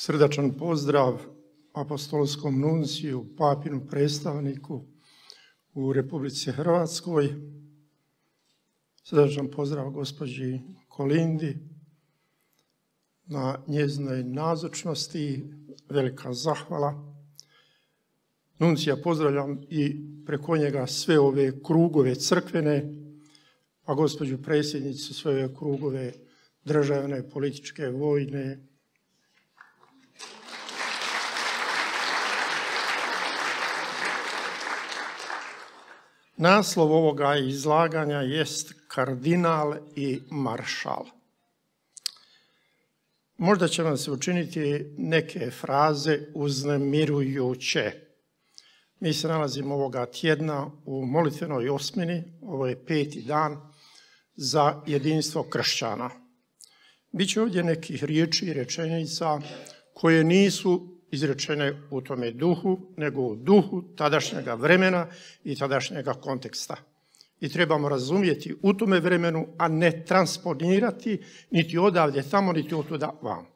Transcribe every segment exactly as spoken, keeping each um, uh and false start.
Srdačan pozdrav apostolskom nunciju, papinu predstavniku u Republici Hrvatskoj. Srdačan pozdrav gospođi Kolindi na njezinoj nazočnosti, velika zahvala. Nuncija pozdravljam i preko njega sve ove krugove crkvene, a gospođu predsjednicu sve ove krugove državne, političke, vojne. Naslov ovoga izlaganja jest kardinal i maršal. Možda će vam se učiniti neke fraze uznemirujuće. Mi se nalazimo ovoga tjedna u molitvenoj osmini, ovo je peti dan za jedinstvo kršćana. Biće ovdje nekih riječi i rečenica koje nisu izrečene u tome duhu, nego u duhu tadašnjega vremena i tadašnjega konteksta. I trebamo razumjeti u tome vremenu, a ne transponirati niti odavdje tamo, niti otuda vam.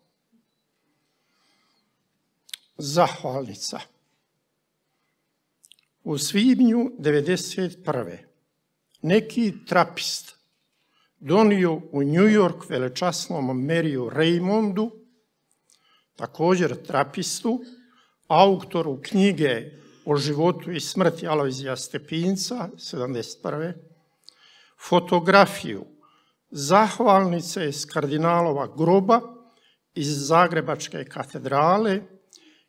Zahvalnica. U svibnju devedeset prve neki trapist donio u New York velečasnom Mariju Raymondu, također trapistu, autoru knjige o životu i smrti Alojzija Stepinca, sedamdeset prve, fotografiju zahvalnice iz kardinalova groba iz Zagrebačke katedrale,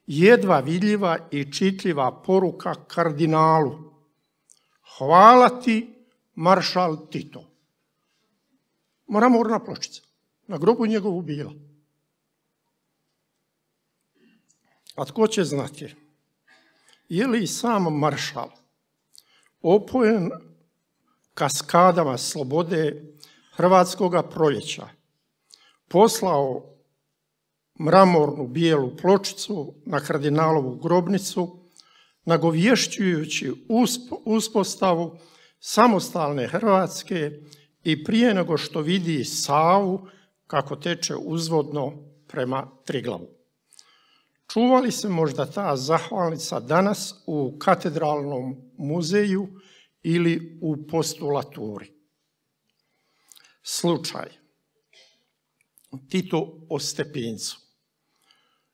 jedva vidljiva i čitljiva poruka kardinalu: hvala ti, maršal Tito. Mramorna pločica, na grobu njegovu bila. A tko će znati, je li sam maršal opojen kaskadama slobode hrvatskoga proljeća poslao mramornu bijelu pločicu na kardinalovu grobnicu, nagovješćujući uspostavu samostalne Hrvatske i prije nego što vidi Savu kako teče uzvodno prema Triglavu. Čuva li se možda ta zahvalnica danas u katedralnom muzeju ili u postulaturi? Slučaj. Tito o Stepincu.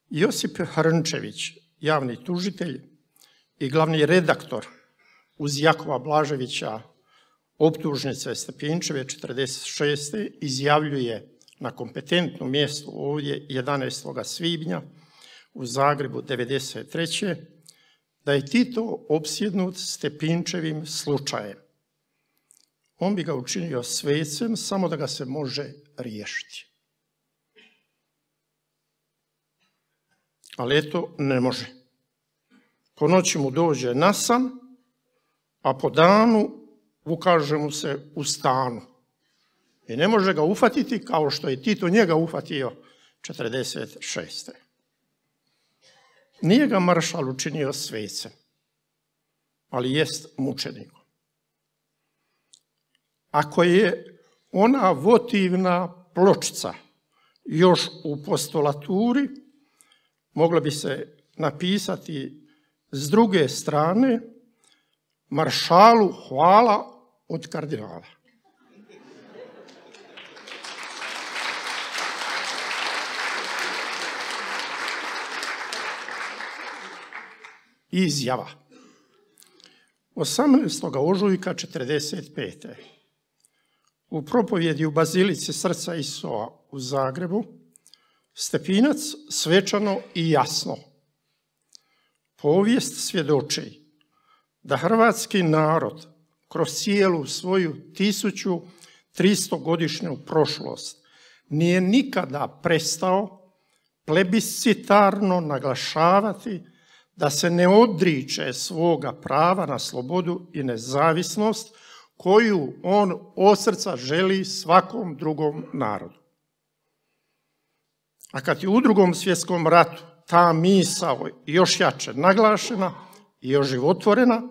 Josip Hrnčević, javni tužitelj i glavni redaktor uz Jakova Blaževića optužnice Stepinčeve četrdeset šeste izjavljuje na kompetentnom mjestu ovdje jedanaestog svibnja u Zagrebu devedeset treće da je Tito opsjednut Stepinčevim slučajem. On bi ga učinio svecem samo da ga se može riješiti. Ali eto, ne može. Po noći mu dođe na san, a po danu ukaže mu se u stanu. I ne može ga ufatiti kao što je Tito njega ufatio četrdeset šeste. Nije ga maršal učinio svecem, ali jest mučenikom. Ako je ona votivna pločica još u postulaturi, moglo bi se napisati s druge strane: maršalu hvala od kardinala. Izjava. osamnaestog ožujka četrdeset pete u propovjedi u Bazilici Srca Isova u Zagrebu Stepinac svečano i jasno: povijest svjedoči da hrvatski narod kroz cijelu svoju tisuću tristogodišnju prošlost nije nikada prestao plebiscitarno naglašavati da se ne odriče svoga prava na slobodu i nezavisnost koju on od srca želi svakom drugom narodu. A kad je u Drugom svjetskom ratu ta misao još jače naglašena i oživotvorena,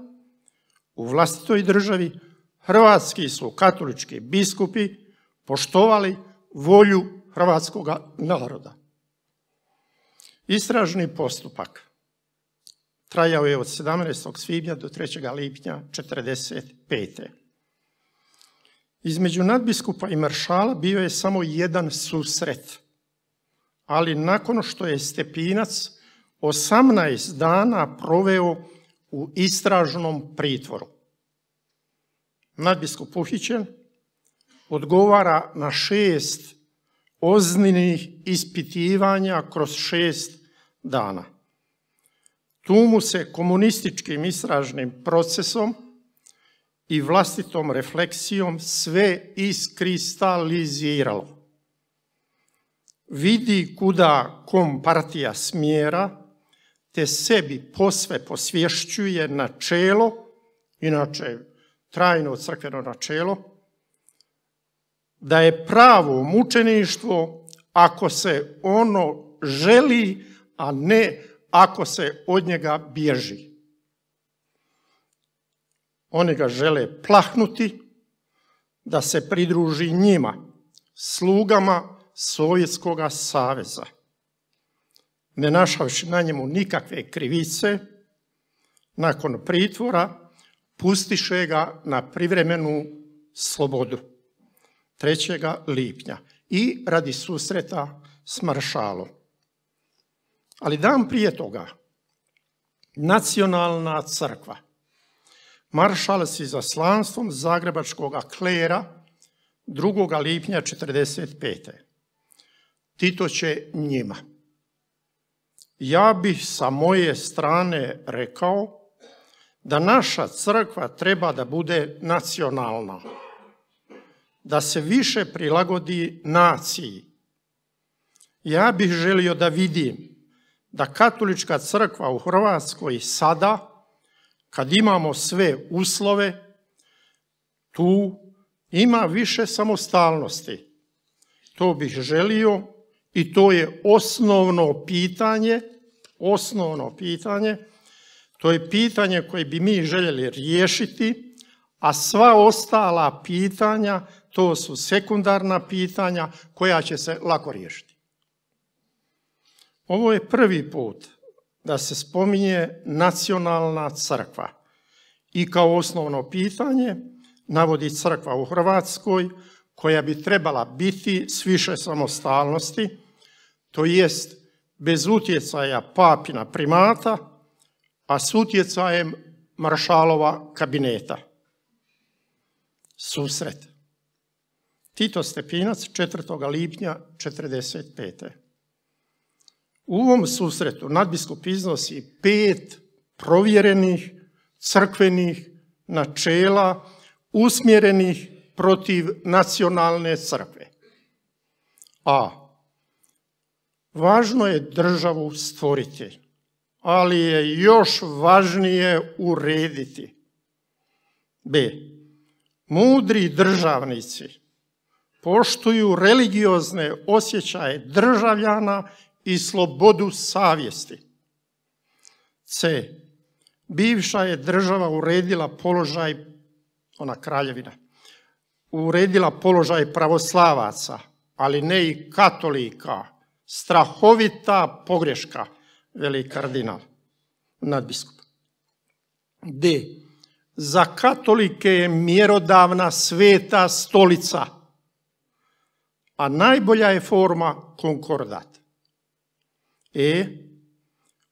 u vlastitoj državi hrvatski su katolički biskupi poštovali volju hrvatskoga naroda. Istražni postupak trajao je od sedamnaestog svibnja do trećeg lipnja četrdeset pete. Između nadbiskupa i maršala bio je samo jedan susret, ali nakon što je Stepinac osamnaest dana proveo u istražnom pritvoru. Nadbiskup uhićen, odgovara na šest ozbiljnih ispitivanja kroz šest dana. Tu mu se komunističkim istražnim procesom i vlastitom refleksijom sve iskristaliziralo. Vidi kuda kompartija smjera, te sebi posve posvješćuje načelo, inače trajno crkveno načelo, da je pravo mučeništvo ako se ono želi, a ne ako se od njega bježi. Oni ga žele plahnuti da se pridruži njima, slugama Sovjetskog saveza. Ne našavši na njemu nikakve krivice, nakon pritvora pustiše ga na privremenu slobodu trećeg lipnja i radi susreta s maršalom. Ali dan prije toga, Nacionalna crkva, maršal s izaslanstvom zagrebačkog klera drugog lipnja četrdeset pete. Tito će njima. Ja bih sa moje strane rekao da naša crkva treba da bude nacionalna, da se više prilagodi naciji. Ja bih želio da vidim da katolička crkva u Hrvatskoj sada, kad imamo sve uslove, tu ima više samostalnosti. To bih želio i to je osnovno pitanje, osnovno pitanje, to je pitanje koje bi mi željeli riješiti, a sva ostala pitanja, to su sekundarna pitanja koja će se lako riješiti. Ovo je prvi put da se spominje nacionalna crkva i kao osnovno pitanje navodi crkva u Hrvatskoj koja bi trebala biti s više samostalnosti, to jest bez utjecaja papina primata, a s utjecajem maršalova kabineta. Susret. Tito Stepinac, četvrtog lipnja četrdeset pete. U ovom susretu nadbiskup iznosi pet provjerenih crkvenih načela usmjerenih protiv nacionalne crkve. A. Važno je državu stvoriti, ali je još važnije urediti. B. Mudri državnici poštuju religiozne osjećaje državljana i slobodu savjesti. C. Bivša je država uredila položaj, ona kraljevina, uredila položaj pravoslavaca, ali ne i katolika. Strahovita pogreška, veli kardinal, nadbiskup. D. Za katolike je mjerodavna sveta stolica, a najbolja je forma konkordat. E.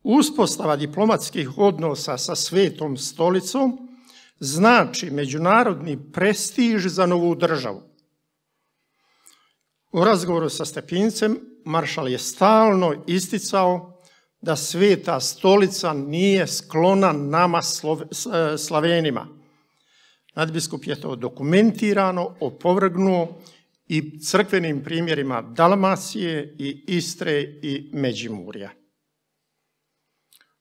Uspostava diplomatskih odnosa sa Svetom stolicom znači međunarodni prestiž za novu državu. U razgovoru sa Stepincem maršal je stalno isticao da Sveta stolica nije sklona nama Slavenima. Nadbiskup je to dokumentirano opovrgnuo i crkvenim primjerima Dalmacije i Istre i Međimurja.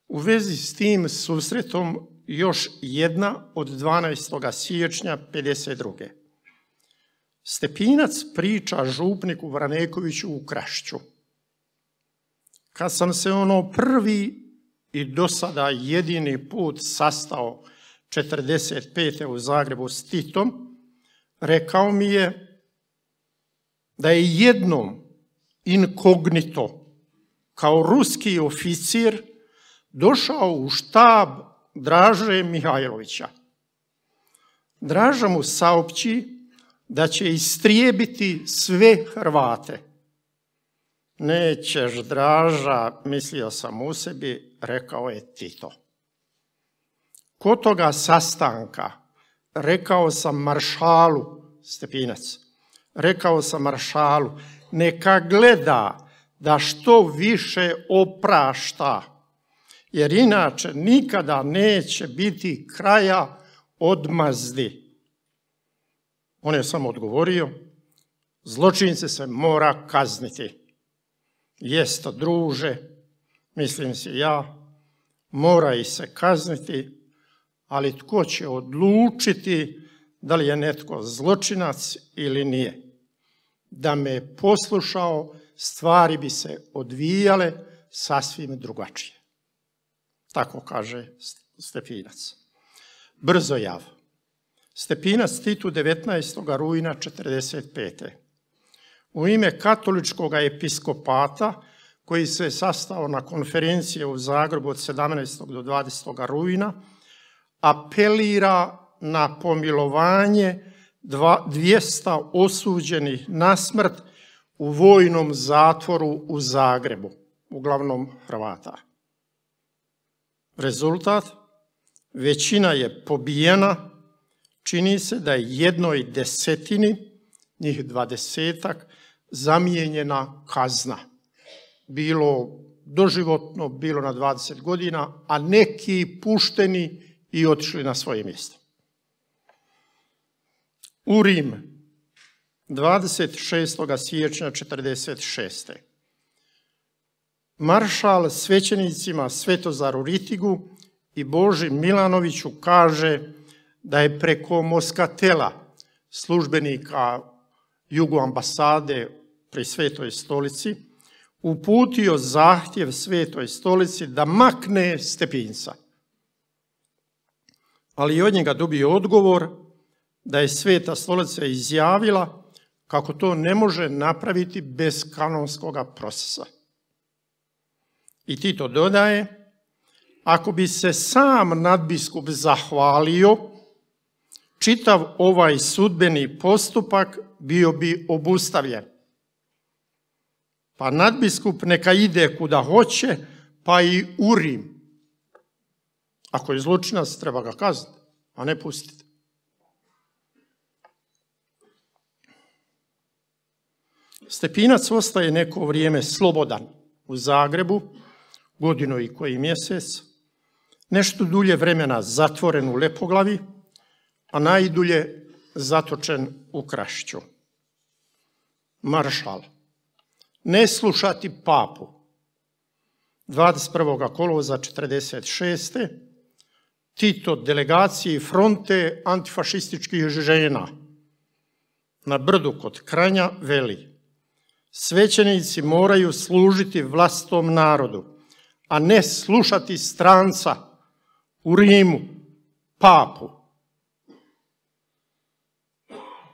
U vezi s tim susretom još jedna od dvanaestog siječnja pedeset druge. Stepinac priča župniku Vranekoviću u Krašću. Kad sam se ono prvi i do sada jedini put sastao četrdeset pete u Zagrebu s Titom, rekao mi je da je jednom inkognito kao ruski oficir došao u štab Draže Mihajlovića. Draža mu saopći da će istrijebiti sve Hrvate. Nećeš, Draža, mislio sam u sebi, rekao je Tito. Kod toga sastanka rekao sam maršalu, Stepinac, rekao sam maršalu, neka gleda da što više oprašta, jer inače nikada neće biti kraja odmazdi. On je samo odgovorio, zločince se mora kazniti. Jest, druže, mislim si ja, mora ih se kazniti, ali tko će odlučiti da li je netko zločinac ili nije? Da me je poslušao, stvari bi se odvijale sasvim drugačije. Tako kaže Stepinac. Brzojav. Stepinac Titu devetnaestog rujna četrdeset pete. U ime katoličkog episkopata, koji se sastao na konferencije u Zagrebu od sedamnaestog do dvadesetog rujna, apelira na pomilovanje dvjesto osuđenih na smrt u vojnom zatvoru u Zagrebu, uglavnom Hrvata. Rezultat? Većina je pobijena, čini se da je jednoj desetini, njih dvadesetak, zamijenjena kazna. Bilo doživotno, bilo na dvadeset godina, a neki pušteni i otišli na svoje mjesto. U Rim, dvadeset šestog siječnja četrdeset šeste. Maršal svećenicima Svetozaru Ritigu i Boži Milanoviću kaže da je preko Moskatela, službenika Jugoambasade pri Svetoj stolici, uputio zahtjev Svetoj stolici da makne Stepinca. Ali od njega dobio odgovor da je Sveta stolica izjavila kako to ne može napraviti bez kanonskog procesa. I Tito dodaje, ako bi se sam nadbiskup zahvalio, čitav ovaj sudbeni postupak bio bi obustavljen. Pa nadbiskup neka ide kuda hoće, pa i u Rim. Ako je zločinac, treba ga kazniti, a ne pustiti. Stepinac ostaje neko vrijeme slobodan u Zagrebu, godinu i koji mjesec, nešto dulje vremena zatvoren u Lepoglavi, a najdulje zatočen u Krašću. Maršal. Ne slušati papu. dvadeset prvog kolovoza četrdeset šeste. Tito delegaciji fronte antifašističkih žena na brdu kod Kranja veli: svećenici moraju služiti vlastitom narodu, a ne slušati stranca u Rimu, papu.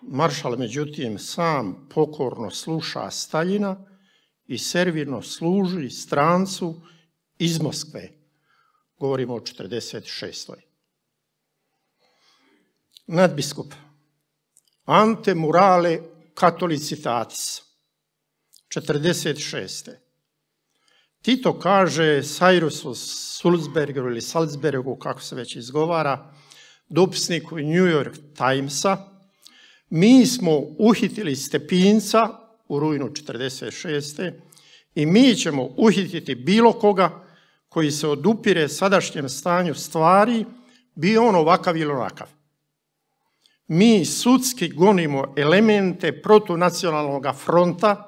Maršal, međutim, sam pokorno sluša Staljina i servirno služi strancu iz Moskve. Govorimo o četrdeset šestoj. Nadbiskup Ante Murale Catholicitatis, četrdeset šeste. Tito kaže Cyrusu Sulzbergu ili Salzbergu, kako se već izgovara, dopisniku New York Timesa, mi smo uhitili Stepinca u rujnu četrdeset šeste i mi ćemo uhititi bilo koga koji se odupire sadašnjem stanju stvari, bio on ovakav ili onakav. Mi sudski gonimo elemente protunacionalnog fronta,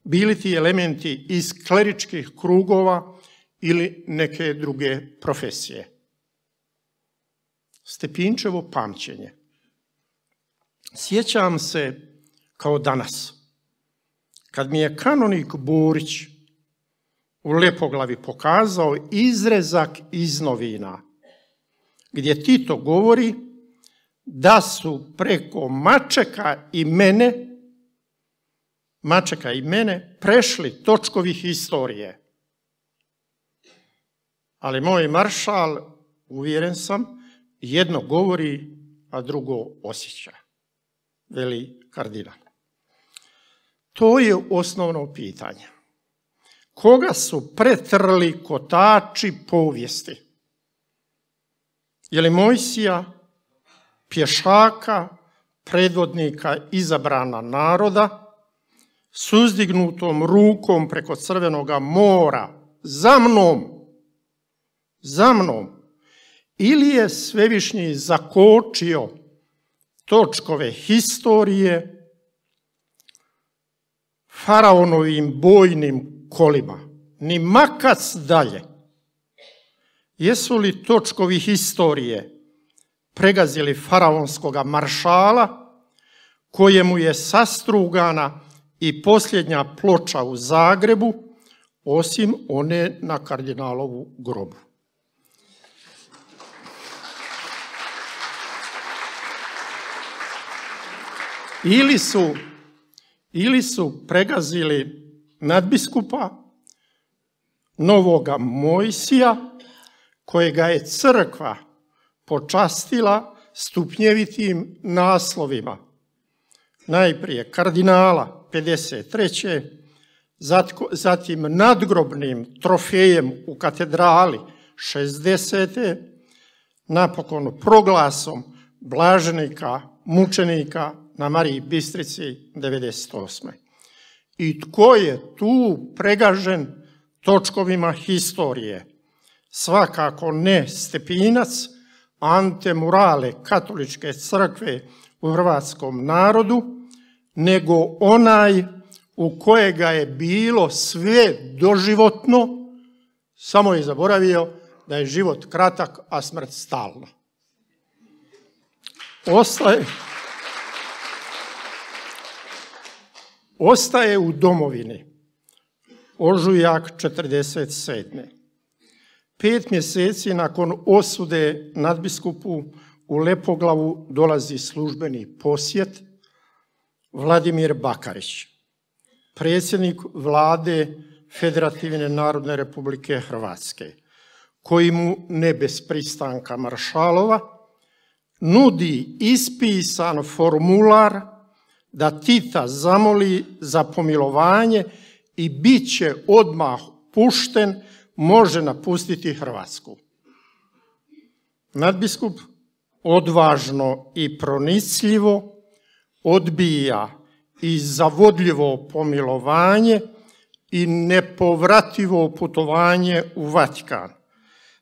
bili ti elementi iz kleričkih krugova ili neke druge profesije. Stepinčevo pamćenje. Sjećam se kao danas, kad mi je kanonik Burić u Lepoglavi pokazao izrezak iz novina, gdje Tito govori da su preko Mačeka i mene, Mačeka i mene prešli točkovi historije. ali moj maršal, uvjeren sam, jedno govori, a drugo osjeća, veli kardinal. To je osnovno pitanje. Koga su pretrli kotači povijesti? Je li Mojsija, pješaka, predvodnika izabrana naroda, s uzdignutom rukom preko Crvenoga mora, za mnom, za mnom, ili je Svevišnji zakočio točkove historije faraonovim bojnim kolima, ni makac dalje. Jesu li točkovi historije pregazili faraonskoga maršala, kojemu je sastrugana i posljednja ploča u Zagrebu, osim one na kardinalovu grobu? Ili su, ili su pregazili nadbiskupa novoga Mojsija, kojega je crkva počastila stupnjevitim naslovima. Najprije kardinala pedeset treće zatim nadgrobnim trofejem u katedrali šezdesete napokon proglasom blaženika, mučenika na Mariji Bistrici devedeset osme I tko je tu pregažen točkovima historije? Svakako ne Stepinac, ante murale katoličke crkve u hrvatskom narodu, nego onaj u kojega je bilo sve doživotno, samo je zaboravio da je život kratak, a smrt stalna. Ostaje, ostaje u domovini ožujak četrdeset sedme Pet mjeseci nakon osude nadbiskupu u Lepoglavu dolazi službeni posjet Vladimir Bakarić, predsjednik vlade Federativne narodne republike Hrvatske, koji mu ne bez pristanka maršalova nudi ispisan formular da Tita zamoli za pomilovanje i bit će odmah pušten, može napustiti Hrvatsku. Nadbiskup odvažno i pronicljivo odbija i zavodljivo pomilovanje i nepovrativo putovanje u Vatikan.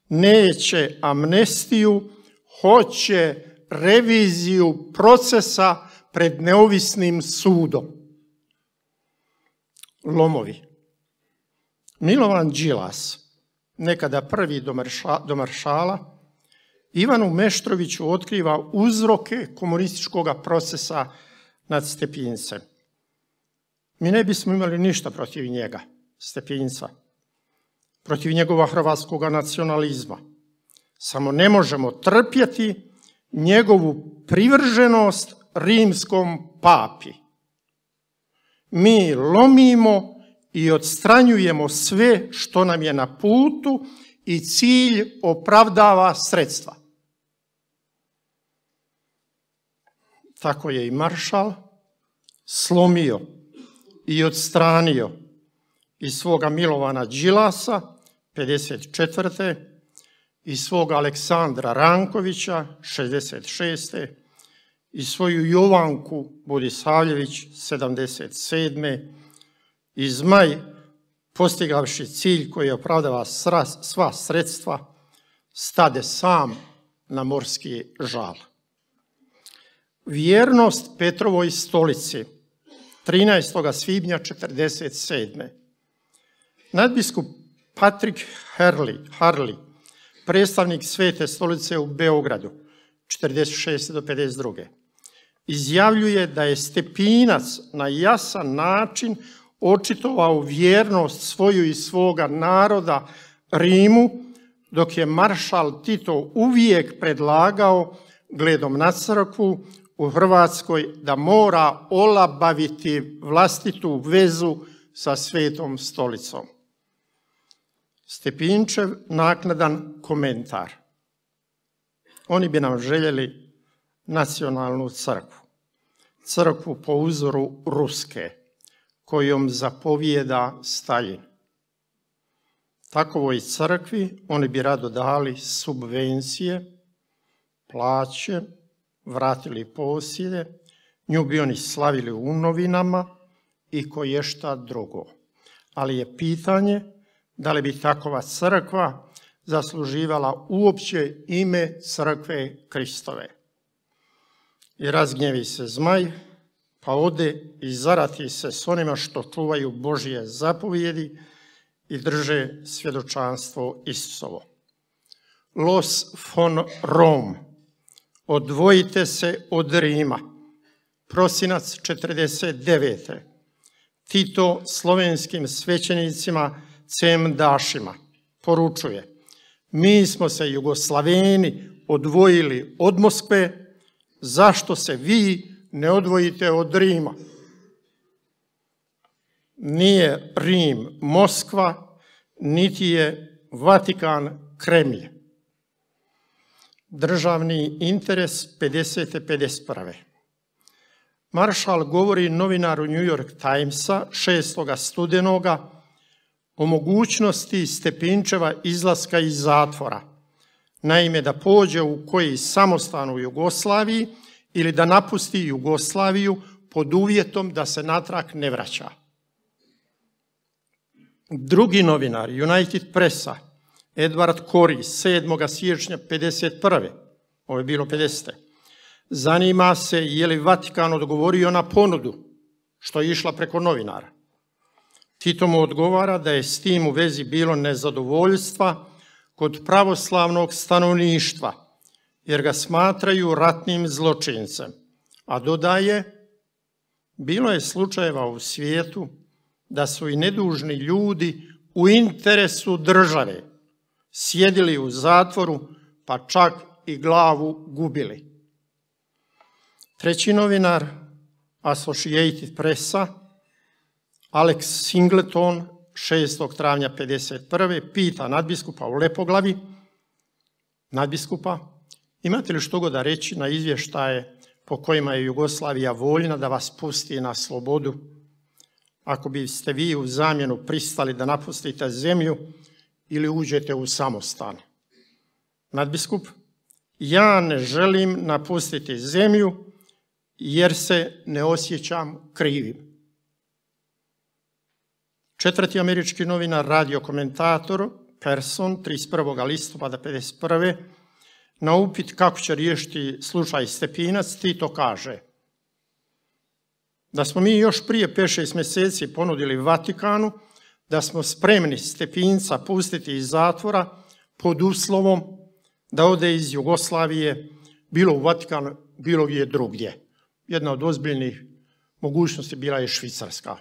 Neće amnestiju, hoće reviziju procesa pred neovisnim sudom. Lomovi. Milovan Đilas, nekada prvi do maršala, Ivanu Meštroviću otkriva uzroke komunističkog procesa nad Stepincem. Mi ne bismo imali ništa protiv njega, Stepinca, protiv njegova hrvatskog nacionalizma. Samo ne možemo trpjeti njegovu privrženost rimskom papi. Mi lomimo i odstranjujemo sve što nam je na putu i cilj opravdava sredstva. Tako je i maršal slomio i odstranio iz svoga Milovana Đilasa pedeset četvrte i svoga Aleksandra Rankovića šezdeset šeste i svoju Jovanku Budisavljević sedamdeset sedme i Zmaj, postigavši cilj koji opravdava sva sredstva, stade sam na morski žal. Vjernost Petrovoj stolici trinaestog svibnja četrdeset sedme Nadbiskup Patrik Harley, Harley, predstavnik Svete stolice u Beogradu četrdeset šeste do pedeset druge izjavljuje da je Stepinac na jasan način očitovao vjernost svoju i svoga naroda Rimu, dok je maršal Tito uvijek predlagao, gledom na crkvu u Hrvatskoj, da mora olabaviti vlastitu vezu sa Svetom stolicom. Stepinčev naknadan komentar. Oni bi nam željeli nacionalnu crkvu. Crkvu po uzoru ruske, kojom zapovijeda Staljin. Takovoj crkvi oni bi rado dali subvencije, plaće, vratili posjede, nju bi oni slavili u novinama i koješta drugo. Ali je pitanje da li bi takova crkva zasluživala uopće ime crkve Kristove. I razgnjevi se zmaj, pa ode i zarati se s onima što čuvaju Božje zapovjedi i drže svjedočanstvo Isusovo. Los von Rom, odvojite se od Rima, prosinac četrdeset devete. Tito slovenskim svećenicima cemdašima poručuje: mi smo se Jugoslaveni odvojili od Moskve, zašto se vi ne odvojite od Rima? Nije Rim Moskva, niti je Vatikan Kremlj. Državni interes pedeset pedeset jedan. Maršal govori novinaru New York Timesa šestoga studenoga o mogućnosti Stepinčeva izlaska iz zatvora. Naime, da pođe u koji samostan u Jugoslaviji ili da napusti Jugoslaviju pod uvjetom da se natrag ne vraća. Drugi novinar, United Pressa, Edward Corey, sedmoga siječnja pedeset prve. Ovo je bilo pedesete. Zanima se je li Vatikan odgovorio na ponudu, što je išla preko novinara. Tito mu odgovara da je s tim u vezi bilo nezadovoljstva kod pravoslavnog stanovništva, jer ga smatraju ratnim zločincem. A dodaje, bilo je slučajeva u svijetu da su i nedužni ljudi u interesu države sjedili u zatvoru, pa čak i glavu gubili. Treći novinar, Associated Pressa, Alex Singleton, šestog travnja pedeset prve. pita nadbiskupa u Lepoglavi: nadbiskupa, imate li što god da reći na izvještaje po kojima je Jugoslavija voljna da vas pusti na slobodu, ako biste vi u zamjenu pristali da napustite zemlju ili uđete u samostan? Nadbiskup: ja ne želim napustiti zemlju jer se ne osjećam krivim. Četvrti američki novinar, radio komentator Person, trideset prvog listopada pedeset prve. na upit kako će riješiti slučaj Stepinac, Tito kaže da smo mi još prije pet šest mjeseci ponudili Vatikanu da smo spremni Stepinca pustiti iz zatvora pod uslovom da ode iz Jugoslavije, bilo u Vatikanu, bilo gdje drugdje. Jedna od ozbiljnih mogućnosti bila je Švicarska.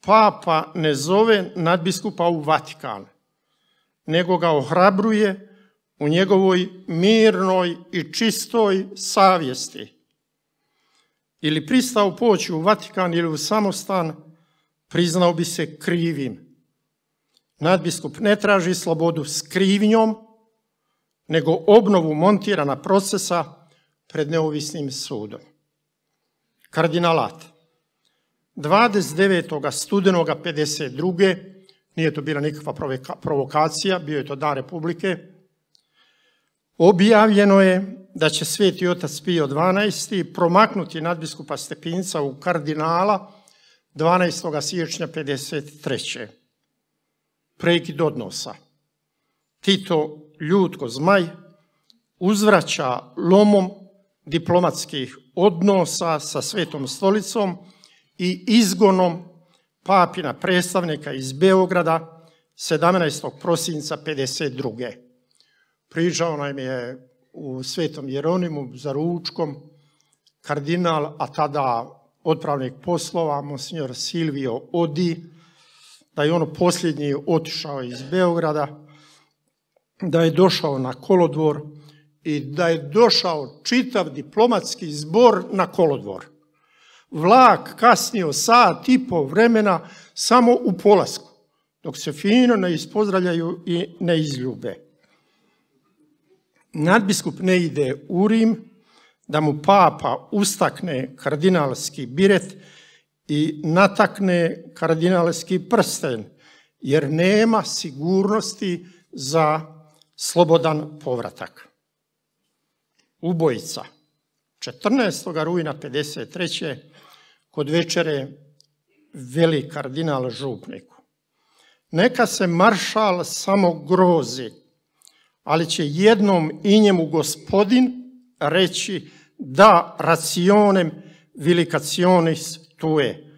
Papa ne zove nadbiskupa u Vatikan, nego ga ohrabruje u njegovoj mirnoj i čistoj savjesti. Ili pristao poći u Vatikan ili u samostan, priznao bi se krivim. Nadbiskup ne traži slobodu s krivnjom, nego obnovu montirana procesa pred neovisnim sudom. Kardinalat. dvadeset devetog studenoga pedeset druge. Nije to bila nikakva provokacija, bio je to dan Republike. Objavljeno je da će Sveti otac Pio dvanaesti promaknuti nadbiskupa Stepinca u kardinala dvanaestog siječnja pedeset treće. Prekid odnosa. Tito, ljut ko zmaj, uzvraća lomom diplomatskih odnosa sa Svetom stolicom i izgonom papina predstavnika iz Beograda sedamnaestog prosinca pedeset druge. Pričao nam je u Svetom Jeronimu za ručkom kardinal, a tada otpravnik poslova, monsignor Silvio Odi, da je ono posljednji otišao iz Beograda, da je došao na kolodvor i da je došao čitav diplomatski zbor na kolodvor. Vlak kasnio sat i po vremena samo u polasku. dok se fino ne ispozdravljaju i ne izljube. Nadbiskup ne ide u Rim da mu papa ustakne kardinalski biret i natakne kardinalski prsten, jer nema sigurnosti za slobodan povratak. Ubojica. četrnaestog rujna pedeset treće kod večere veli kardinal župniku: neka se maršal samo grozi, ali će jednom i njemu gospodin reći da racionem vilicationis tue.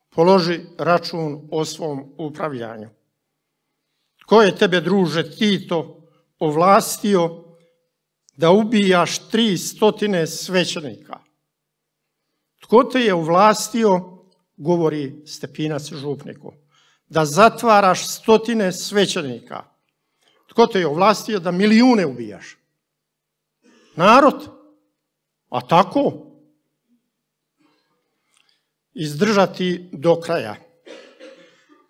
Položi račun o svom upravljanju. Tko je tebe, druže Tito, ovlastio da ubijaš tri stotine svećenika? Tko te je ovlastio, govori Stepinac župniku, da zatvaraš stotine svećenika? Tko te je ovlastio da milijune ubijaš? Narod. A tako? Izdržati do kraja.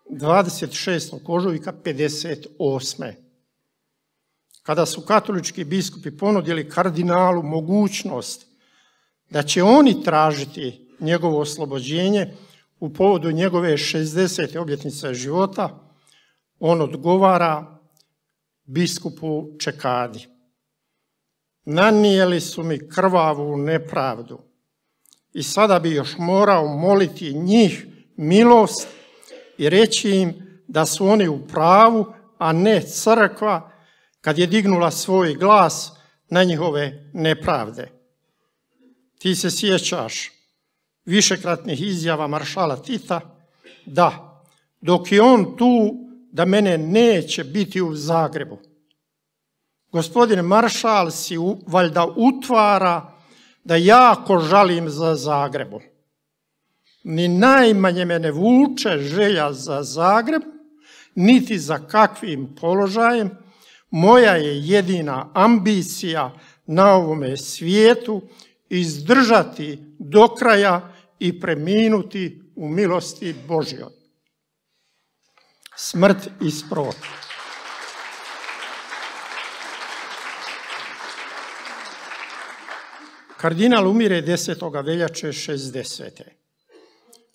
dvadeset šestog ožujka pedeset osme kada su katolički biskupi ponudili kardinalu mogućnost da će oni tražiti njegovo oslobođenje u povodu njegove šezdesete obljetnice života, on odgovara biskupu Čekadi: nanijeli su mi krvavu nepravdu i sada bi još morao moliti njih milost i reći im da su oni u pravu, a ne crkva kad je dignula svoj glas na njihove nepravde. Ti se sjećaš višekratnih izjava maršala Tita da dok je on tu, da mene neće biti u Zagrebu. Gospodin maršal si valjda utvara da jako žalim za Zagrebom. Ni najmanje me ne vuče želja za Zagreb, niti za kakvim položajem. Moja je jedina ambicija na ovome svijetu izdržati do kraja i preminuti u milosti Božjoj. Smrt isprot. Kardinal umire desetog veljače šezdesete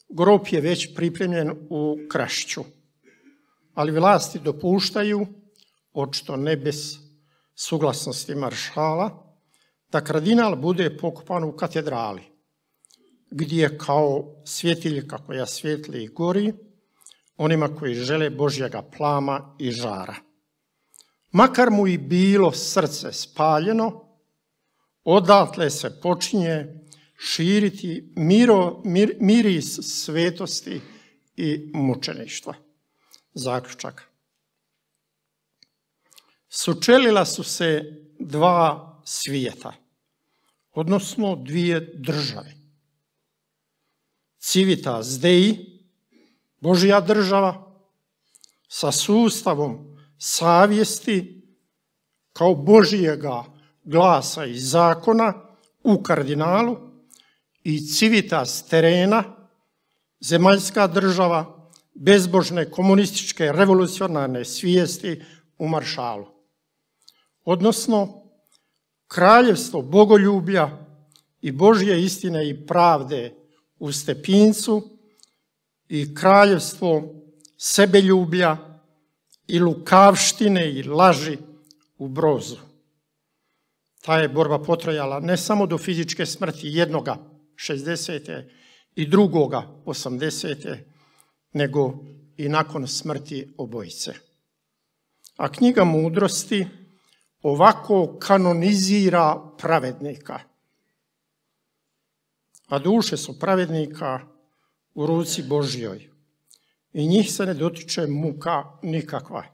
Grob je već pripremljen u Krašću, ali vlasti dopuštaju, očito ne bez suglasnosti maršala, da kardinal bude pokopan u katedrali, gdje kao svjetiljka koja svijetli i gori onima koji žele Božjega plama i žara. Makar mu i bilo srce spaljeno, odatle se počinje širiti miro, mir, miris svetosti i mučeništva. Zaključak. Sučelila su se dva svijeta, odnosno dvije države. Civitas Dei, Božja država, sa sustavom savjesti kao Božjega glasa i zakona u kardinalu, i Civitas terrena, zemaljska država, bezbožne komunističke revolucionarne svijesti u maršalu. Odnosno, kraljevstvo bogoljublja i Božje istine i pravde u Stepincu i kraljevstvo sebeljublja i lukavštine i laži u Brozu. Ta je borba potrajala ne samo do fizičke smrti jednoga šezdesete i drugoga osamdesete, nego i nakon smrti obojice. A knjiga Mudrosti ovako kanonizira pravednika. A duše su pravednika u ruci Božjoj i njih se ne dotiče muka nikakva.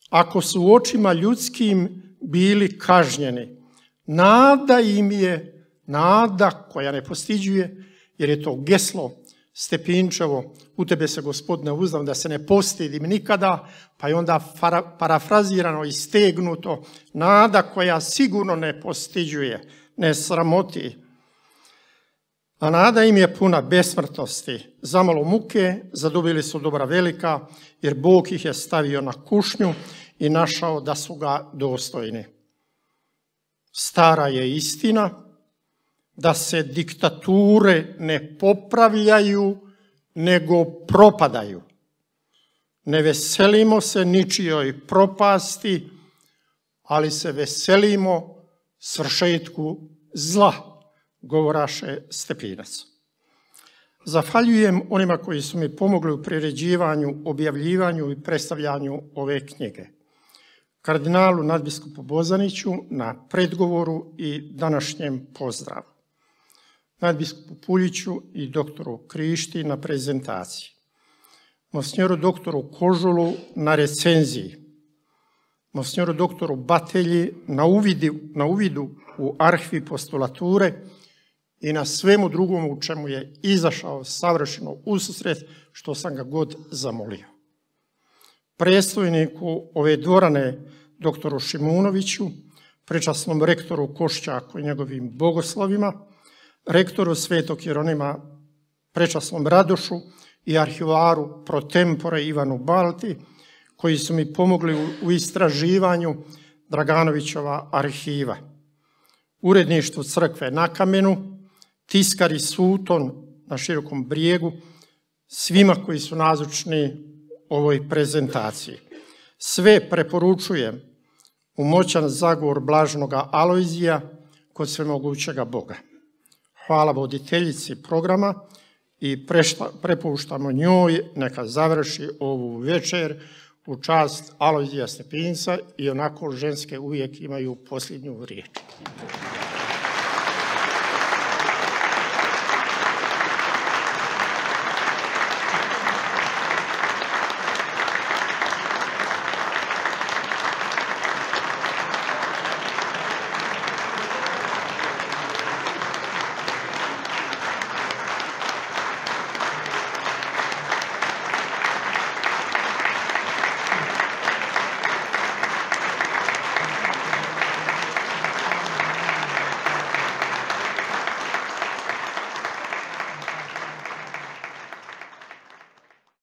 Ako su u očima ljudskim bili kažnjeni, nada im je, nada koja ne postiđuje, jer je to geslo Stepinčevo, u tebe se Gospodine uzdam da se ne postidim nikada, pa je onda parafrazirano i stegnuto, nada koja sigurno ne postiđuje, ne sramoti. A nada im je puna besmrtnosti. Zamalo muke zadobili su dobra velika, jer Bog ih je stavio na kušnju i našao da su ga dostojni. Stara je istina da se diktature ne popravljaju, nego propadaju. Ne veselimo se ničijoj propasti, ali se veselimo svršetku zla, govoraše Stepinac. Zahvaljujem onima koji su mi pomogli u priređivanju, objavljivanju i predstavljanju ove knjige. Kardinalu nadbiskupu Bozaniću na predgovoru i današnjem pozdravu. Nadbiskupu Puljiću i doktoru Krišti na prezentaciji. Monsinjoru doktoru Kožulu na recenziji. Monsinjoru doktoru Batelji na, uvidi, na uvidu u arhivi postulature i na svemu drugom u čemu je izašao savršeno ususret, što sam ga god zamolio. Predstojniku ove dvorane, doktoru Šimunoviću, prečasnom rektoru Košćaku i njegovim bogoslovima, rektoru Svetog Jeronima, prečasnom Radošu i arhivaru pro tempore Ivanu Balti, koji su mi pomogli u istraživanju Draganovićova arhiva. Uredništvu crkve na Kamenu, tiskari Suton na Širokom brijegu, svima koji su nazočni ovoj prezentaciji. Sve preporučujem u moćan zagovor blaženoga Alojzija kod svemogućega Boga. Hvala voditeljici programa i prepuštamo njoj neka završi ovu večer u čast Alojzija Stepinca i onako ženske uvijek imaju posljednju riječ.